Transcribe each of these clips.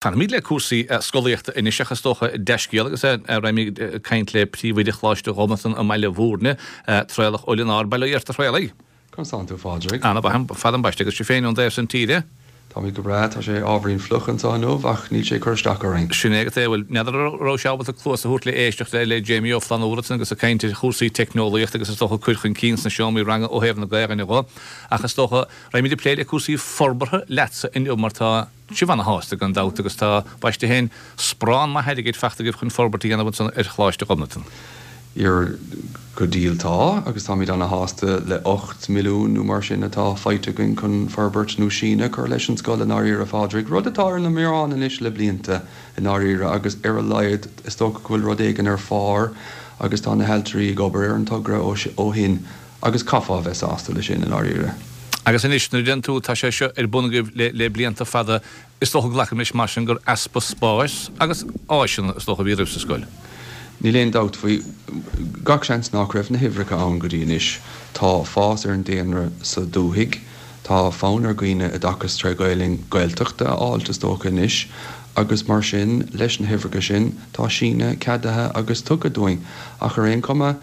Fanfaimid le cúrsaí scolaíochta anois ach is dócha dea-scéal agus raghaimid ag caint le Príomhoide Choláiste Ghobnatan i mBaile Bhúirne, Traolach Ó Lionáird. Bail ó Dhia ort a Thraolaigh. Conas tánn tú, a Phádraig? Ana-mhaith, fada ambaiste agus sibh féin ón dtaobh san tíre? Táimid go breá, tá sé ábhairín fliuch anseo inniu ach níl sé ag cur isteach orainn. Sin é agat é, bhuel, n'fheadar an raibh sé ábalta cluas a thabhairt le éisteacht le Jamie Ó Flannúra ansan agus ag caint ar chúrsaí teicneolaíochta agus is dócha cur chun cinn sna seomraí ranga ó thaobh na Gaelainne dho ach is dócha raghaimid ag plé le cúrsaí forbartha leatsa inniu mar tá sibh ana-shásta gan dabht agus tá, baiste féin, sparán maith airgid fachta agaibh chun forbairt a dhéanamh ansan ar Choláiste Ghobnatan. Ar go diail tá, agus táimid ana-shásta le 8 milliún nó mar sin atá faighte againn chun forbairt nó síneadh a chur leis an scoil i ndáiríre, a Phádraig, rud atá ar na meáin anois le blianta i ndáiríre agus ar a laghad is dócha go bhfuil rud éigin ar phár agus tá na hailtirí ag obair ar an togra ó shin Agus caithfeá a bheith sásta leis sin, i ndáiríre. Agus anois, nuair a deireann tú, tá sé seo ar bun agaibh le, le blianta fada, is dócha, glacaim leis mar sin, gur easpa spáis agus áiseanna, is dócha, a bhí roimh sa scoil. Níl aon dabht faoi. Gach seans nach raibh na huimhreacha ann go dtí anois. Tá fás ar an daonra sa dúthaigh. Tá fonn ar dhaoine oideachas tré Ghaelainn Gaeltachta a fháilt, is dócha, anois. Agus mar sin, leis na huimhreacha sin, tá síneadh ceadaithe agus tugtha dúinn. Ach ar aon chuma,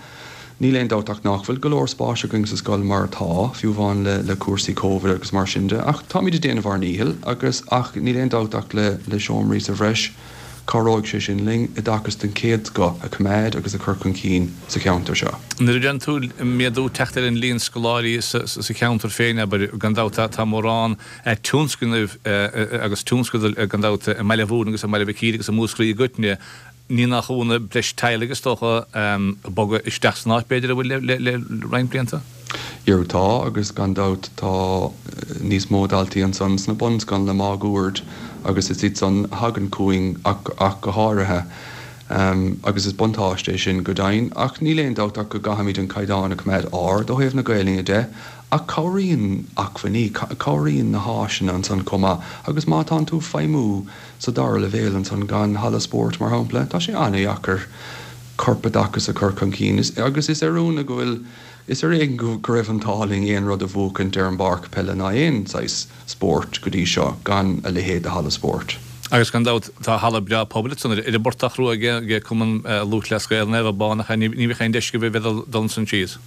Níl aon dabht ach nach bhfuil go leor spáis againn sa scoil mar atá, fiú amháin le le cúrsaí Covid agus mar sin de, ach táimid ag déanamh ár ndíchill agus ach níl aon dabht ach le le seomraí sa bhreis, cabhróidh sé sin linn oideachas den chéad scoth a choimeád agus a chur chun cinn sa cheantar seo. Nuair a deireann tú méadú teacht ar an líon scoláirí sa sa cheantar féin, abair, gan dabht tá mórán tionscnaimh agus tionscadail gan dabht i mBaile Bhúirne agus i mBaile Mhic Íre agus i Múscraí i gcoitinne, Ní nach ionadh, breis teaghlaigh is dócha ag bogadh isteach san áit b'fhéidir a bhfuil le roinnt blianta. Jerú tá, agus gan dabht tá níos mó daltaí ansan sna bunscoileanna máguaird agus is iad san a thagann chugainn ach go háirithe. Agus is buntáiste é sin go deimhin. Ach níl aon dabht ach go gcaithfimid an caighdeán a choimeád ard ó thaobh na Gaelainne de. Ach cabhraíonn acmhainní, cabhraíonn na háiseanna ansan chomh maith agus má tánn tú ag feidhmiú Sa dara leibhéal ansan gan halla spóirt, mar shampla, tá sé an-dheacair corpoideachas a chur chun cinn agus is ar ionadh go bhfuil, is ar éigean go raibh an t-ádh linn aon rud a bhuachaint ar an bpáirc peile ná aon saghas spóirt go dtí seo gan a leithéid de halla spóirt. Agus gan dabht tá halla breá pobail ansan ar an bPortach Rua ag Cumann Lúthchleas Gael Naomh Abán ach ní bheadh aon deis agaibh a bheith ag dul ansan síos.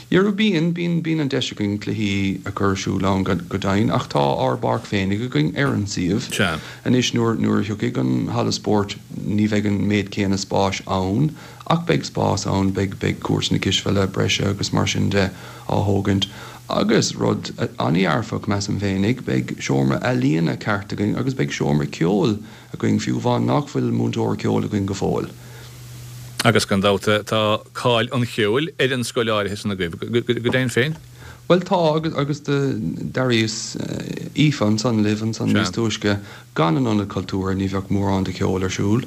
Jerú bíonn, bíonn, bíonn an deis againn cluichí a chur ar siúl ann go deimhin ach tá ár bpáirc féinig againn ar an suíomh. Sea. Anois nuair, nuair a thiocfaidh an halla spóirt ní bheidh an méid céanna spáis ann ach beidh spás ann, beidh, beidh cúirteanna cispheile breise agus mar sin de á thógaint. Agus rud an-dhearfach measaim féinig, beidh seomra ealaíona ceart againn agus beidh seomra ceoil againn, fiú amháin nach bhfuil múinteoir ceoil againn go fóill. Agus gan dabht tá cáil an cheoil ar an scoil áirithe san agaibh, go deimhin féin. Bhuel tá, agus agus d'airíos Aoife ansan libh ansan níos túisce, gan an Ionad Cultúrtha ní bheadh mórán de cheol ar siúl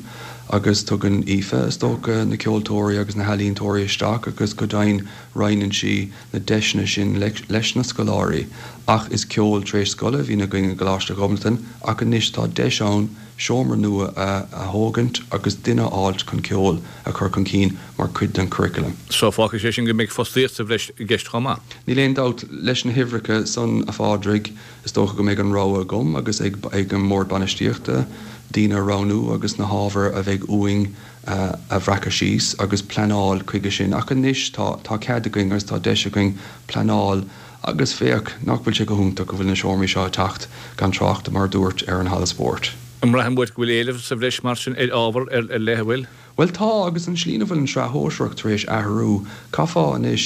agus tugann Aoife, is dócha, na ceoltóirí agus na healaíontóirí isteach agus go deimhin roinneann sí na deiseanna sin leis na scoláirí ach is ceol tar éis scoile a bhíonn againn i gColáiste Ghobnatan ach anois tá deis ann seomra nua a thógaint agus duine a fháilt chun ceol a chur chun cinn mar chuid den churriculum. So fágfaidh sé sin go mbeidh fostaíocht sa bhreis i gceist chomh maith. Níl aon dabht, leis na huimhreacha san, a Phádraig, is dócha go mbeidh an rogha agam agus ag an mBord Bainistíochta daoine a roghnú agus na hábhair a bheidh uainn a bhreacadh síos agus pleanáil chuige sin ach anois tá tá cead againn agus tá deis againn pleanáil agus féach nach bhfuil sé go hiontach go bhfuil na seomraí seo ag teacht gan trácht mar a dúirt ar an halla spóirt. An mbraitheann uait go bhfuil éileamh sa bhreis mar sin ar ábhar ar leith, an bhfuil? Bhuel tá agus an tslí ina bhfuil an tsraith shóisearach tar éis athrú, caithfeá anois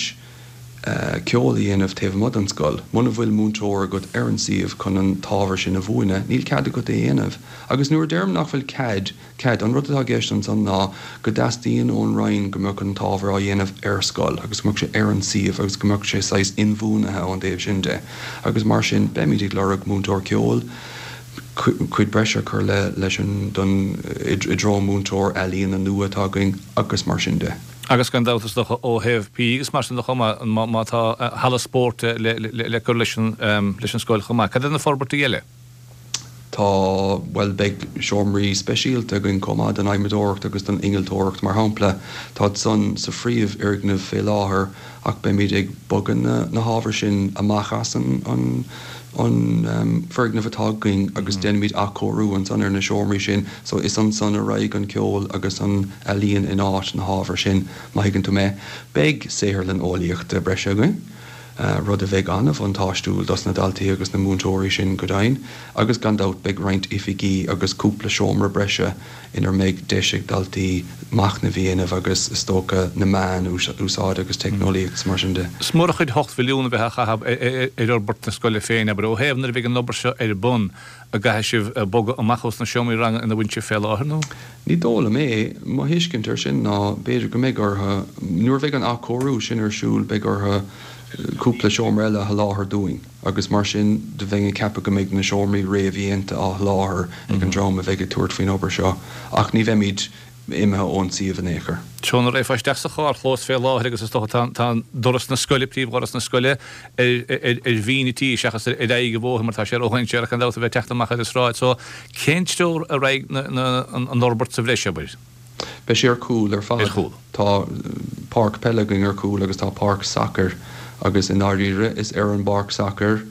ceol a dhéanamh taobh amuigh den scoil. Muna bhfuil múinteoir agat ar an suíomh chun an t-ábhar sin a mhúineadh, níl cead agat é a dhéanamh. Agus nuair a deirim nach bhfuil cead, Cead. An rud atá i gceist ansan ná go dteastaíonn ón Roinn go mbeadh an t-ábhar á dhéanamh ar scoil agus go mbeadh sé ar an suíomh agus go mbeadh sé saghas inbhuanaithe ón dtaobh sin de. Agus mar sin, beimid ag lorg múinteoir ceoil, cuid breise a chur le leis an don i dtreo múinteoir ealaíona nua atá againn agus mar sin de. Agus gan dabht is dócha ó thaobh PE agus mar sin de chomh maith, má tá halla spóirt le cur leis an scoil chomh maith. Cad iad na forbairtí eile? Tá, bhuel, beidh seomraí speisialta againn chomh maith don adhmadóireacht agus don innealtóireacht, mar shampla. Táid san sa phríomhfhoirgneamh fé láthair ach beimid ag bogadh na hábhair sin amach as an foirgneamh atá againn agus déanfaimid athchóiriú ansan ar na seomraí sin so is ansan a raghaidh an ceol agus an ealaíon in áit na hábhair sin, má thuigeann tú mé. Beidh saotharlann eolaíochta breise againn, rud a bheidh an-bhuntáistiúil dos na daltaí agus na múinteoirí sin go deimhin, agus gan dabht beidh roinnt oifigí agus cúpla seomra breise inar mbeidh deis ag daltaí machnamh a dhéanamh agus, is dócha, na meáin a úsáid agus teicneolaíocht is mar sin de. Is mór an chuid 8 mhilliún a bheith á chaitheamh ar fhorbairt na scoile féin, abair, ó thaobh nuair a bheidh an obair seo ar bun, an gcaithfidh sibh bogadh amach ós na seomraí ranga ina bhfuil sibh fé láthair, nó? Ní dóigh liom é. Mo thuiscint air sin ná b'fhéidir go mbeidh orthu, nuair a bheidh an athchóiriú sin ar siúl, beidh orthu cúpla seomra eile a sholáthar dúinn. Agus mar sin de bheinn ag ceapadh go mbeidh na seomraí réamhdhéanta á sholáthar ag an dream a bheidh ag tabhairt faoin obair seo, ach ní bheimid imithe ón suíomh in aon chor. Treo na raghfá isteach sa charrchlós fé láthair agus is dócha tá tá doras na scoile, príomhdhoras na scoile, ar ar mhín an tí seachas ar aghaidh an bhóthair mar tá sé ródhainséarach gan dabht a bheith ag teacht amach ar an sráid. So cén treo a raghaidh na an fhorbairt sa bhreis, abair? Beidh sé ar cúl ar fad. Ar chúl. Tá páirc peile againn ar cúl agus tá páirc sacair agus i ndáiríre is ar an bpáirc sacair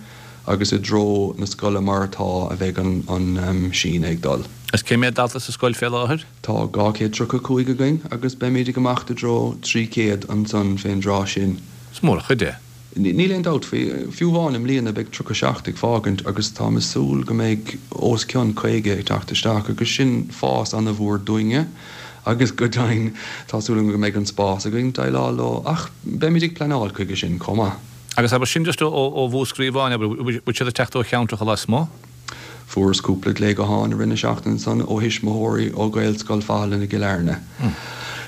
agus i dtreo na scoile mar atá a bheidh an síneadh ag dul. Is cé mhéad dalta sa scoil fé láthair? Tá 235 againn agus beimid ag imeacht i dtreo 300 ansan fén dtráth sin. Is mór an chuid é. Níl aon dabht faoi. Fiú amháin i mbliana beidh 37 ag fágaint agus táim ag súil go mbeidh os cionn 50 ag teacht isteach agus sin fás ana-mhór dúinne agus go deimhin tá súil agam go mbeidh an spás againn déileáil leo ach beimid ag pleanáil chuige sin chomh maith. Agus abair sin just ó Mhúscraí amháin, abair, bhfuil siad ag teacht ó cheantracha lasmuigh? Fuaireas cúpla glao gutháin i rith na seachtaine san ó thuismitheoirí ó Ghaelscoil Fathalann i gCill Airne.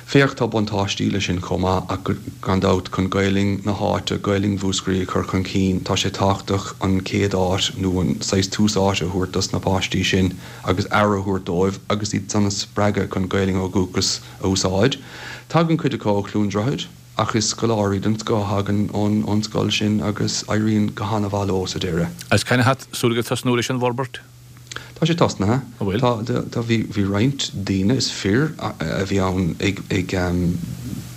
Féach, tá buntáistí leis sin chomh maith ach gan dabht, chun Gaelainn na háite, Gaelainn Mhúscraí a chur chun cinn, tá sé tábhachtach an chéad áit nó an saghas tús áite a thabhairt dos na páistí sin agus aire a thabhairt dóibh agus iad san a spreagadh chun Gaelainn ó dhúchas a úsáid. Tagann cuid acu ó Chluain Droichead. Ach is scoláirí den scoth a thagann ón scoil sin agus éiríonn go han-mhaith leo sa deireadh. Agus cathain atá súil agaibh tosnú leis an bhforbairt? Tá sé tosnaithe. An bhfuil? Tá, tá, bhí, bhí roinnt daoine, is fir a bhí ann ag, ag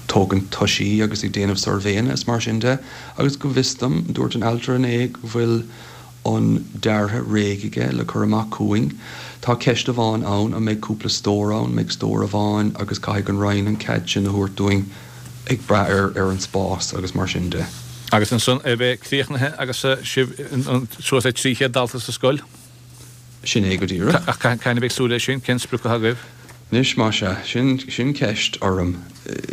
tógaint toisí agus ag déanamh suirbhéanna is mar sin de agus go bhfios dom, dúirt an ailtire inné go bhfuil an deartha réidh aige le cur amach chugainn. Tá ceist amháin ann, an mbeidh cúpla stór ann, mbeidh stór amháin agus caithfidh an Roinn an cead sin a thabhairt dúinn ag brath ar ar an spás agus mar sin de. Agus ansan é bheith críochnaithe agus sibh suas le 300 dalta sa scoil? Sin é go díreach. Ach cathain a bheidh súil leis sin? Cén sprioc atá agaibh? Anois, más ea, sin, sin ceist orm.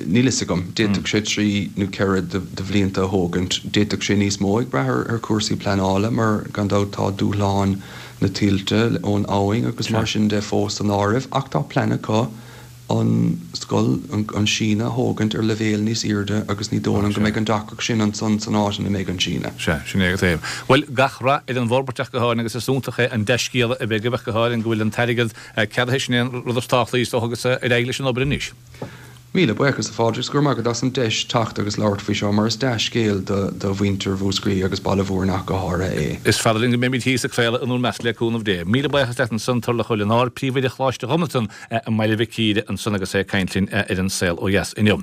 Níl fhios agam. D'fhéadfadh sé trí nó ceithre de bhlianta a thógaint. D'fhéadfadh sé níos mó ag brath ar chúrsaí pleanála mar, gan dabht, tá dúshláin na tuilte ón abhainn agus mar sin de fós san áireamh. Ach tá plean acu an scoil, an síneadh a thógaint ar leibhéal níos airde agus ní dóigh liom go mbeidh an deacracht sin ansan san áit ina mbeidh an síneadh. Sea, sin é go taobh. Bhuel, gach rath ar an bhforbairt ach go háirithe agus is iontach é an dea-scéala a bheith agaibh ach go háirithe go bhfuil an t-airgead ceadaithe, sin é an rud is tábhachtaí is dócha agus ar aghaidh leis an obair anois. Míle buíochas a Phádraig is go raibh maith agat as an deis teacht agus labhairt faoi seo mar is dea-scéal do mhuintir Mhúscraí agus Baile Mhúirne ach go háirithe é. Is fada linn go mbeimid thíos ag craoladh in bhur measc le cúnamh Dé. Míle buíochas leat ansan Turlough Ó Lionáird, Príomhoide Choláiste Ghobnatan i mBaile Mhic Íre ansan agus é ag caint linn ar An Saol Ó Dheas inniu.